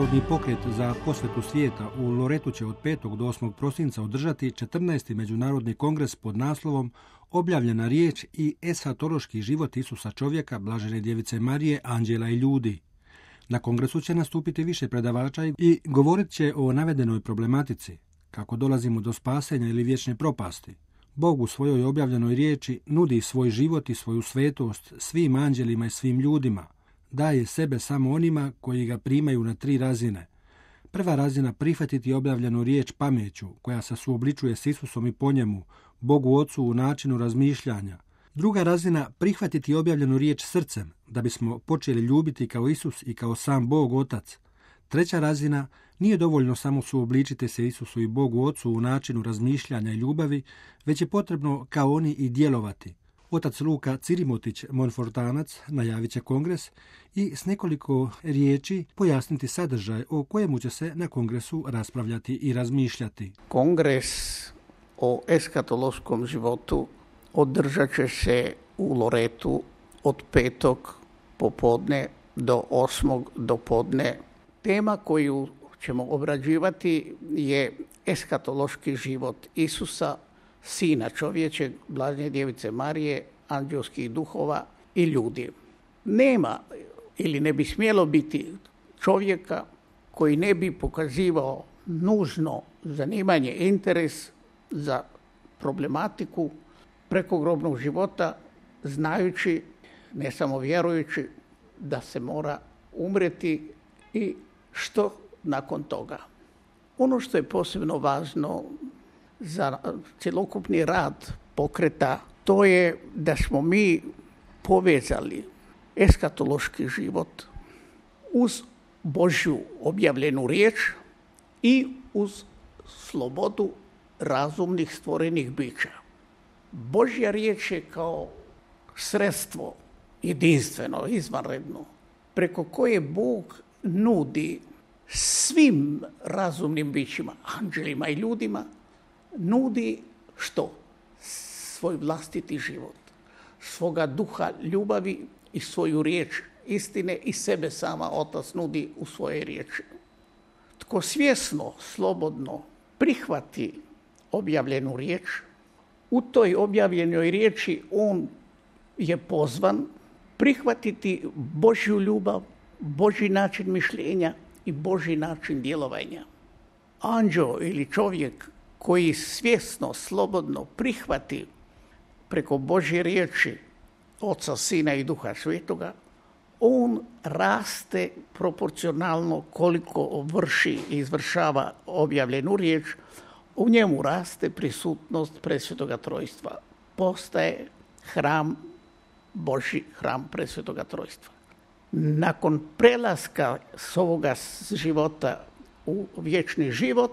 Međunarodni pokret za posvetu svijeta u Loretu će od 5. do 8. prosinca održati 14. Međunarodni kongres pod naslovom Objavljena riječ i eshatološki život Isusa čovjeka, Blažene djevice Marije, anđela i ljudi. Na kongresu će nastupiti više predavača i govorit će o navedenoj problematici, kako dolazimo do spasenja ili vječne propasti. Bog u svojoj objavljenoj riječi nudi svoj život i svoju svetost svim anđelima i svim ljudima. Daje sebe samo onima koji ga primaju na 3 razine. Prva razina prihvatiti objavljenu riječ pameću, koja se suobličuje s Isusom i po njemu, Bogu Ocu u načinu razmišljanja. Druga razina prihvatiti objavljenu riječ srcem, da bismo počeli ljubiti kao Isus i kao sam Bog Otac. Treća razina nije dovoljno samo suobličiti se Isusu i Bogu Ocu u načinu razmišljanja i ljubavi, već je potrebno kao oni i djelovati. Otac Luka Cirimotić, Monfortanac, najavit će kongres i s nekoliko riječi pojasniti sadržaj o kojemu će se na kongresu raspravljati i razmišljati. Kongres o eskatološkom životu održat će se u Loretu od 5. popodne do 8. dopodne. Tema koju ćemo obrađivati je eskatološki život Isusa, Sina čovječeg, Blažene djevice Marije, anđelskih duhova i ljudi. Nema ili ne bi smjelo biti čovjeka koji ne bi pokazivao nužno zanimanje, interes za problematiku prekogrobnog života, znajući, ne samo vjerujući, da se mora umreti i što nakon toga. Ono što je posebno važno za cjelokupni rad pokreta, to je da smo mi povezali eskatološki život uz Božju objavljenu riječ i uz slobodu razumnih stvorenih bića. Božja riječ je kao sredstvo jedinstveno, izvanredno, preko koje Bog nudi svim razumnim bićima, anđelima i ljudima, nudi što? Svoj vlastiti život, svoga duha ljubavi i svoju riječ istine i sebe sama Otac nudi u svoje riječi. Tko svjesno, slobodno prihvati objavljenu riječ, u toj objavljenoj riječi on je pozvan prihvatiti Božju ljubav, Božji način mišljenja i Božji način djelovanja. Anđeo ili čovjek koji svjesno, slobodno prihvati preko Božje riječi Oca, Sina i Duha Svetoga, on raste proporcionalno koliko vrši i izvršava objavljenu riječ, u njemu raste prisutnost Presvetoga Trojstva. Postaje hram Božji, hram Presvetoga Trojstva. Nakon prelaska s ovoga života u vječni život,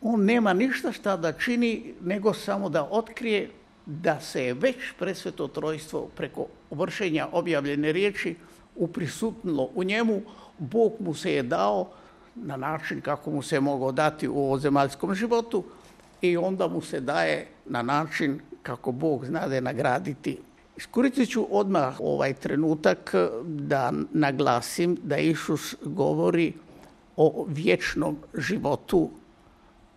on nema ništa šta da čini, nego samo da otkrije da se je već Presveto Trojstvo preko vršenja objavljene riječi uprisutnilo u njemu. Bog mu se je dao na način kako mu se je mogao dati u ovozemaljskom životu i onda mu se daje na način kako Bog znade nagraditi. Iskoristit ću odmah ovaj trenutak da naglasim da Isus govori o vječnom životu,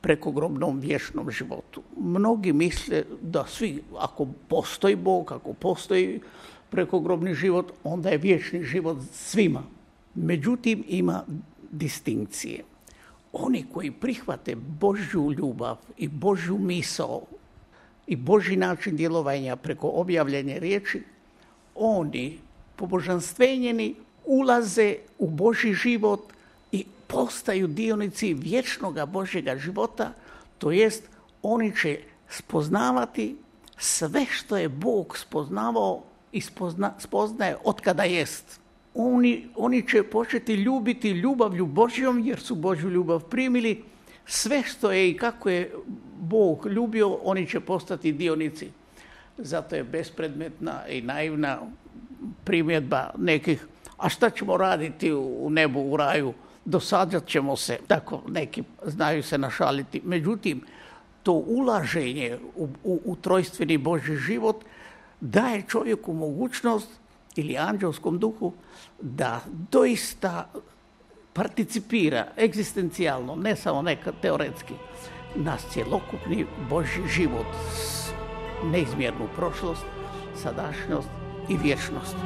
prekogrobnom vječnom životu. Mnogi misle da svi, ako postoji Bog, ako postoji prekogrobni život, onda je vječni život svima. Međutim, ima distinkcije. Oni koji prihvate Božju ljubav i Božju misao i Božji način djelovanja preko objavljene riječi, oni, pobožanstvenjeni, ulaze u Božji život i postaju dionici vječnoga Božjega života, to jest oni će spoznavati sve što je Bog spoznavao i spoznaje otkada jest. Oni će početi ljubiti ljubavlju Božjom jer su Božju ljubav primili. Sve što je i kako je Bog ljubio, oni će postati dionici. Zato je bespredmetna i naivna primjedba nekih, a šta ćemo raditi u nebu, u raju? Dosađat ćemo se, tako neki znaju se našaliti. Međutim, to ulaženje u trojstveni Božji život daje čovjeku mogućnost ili anđelskom duhu da doista participira egzistencijalno, ne samo nekad teoretski, na cjelokupni Božji život, neizmjernu prošlost, sadašnjost i vječnost.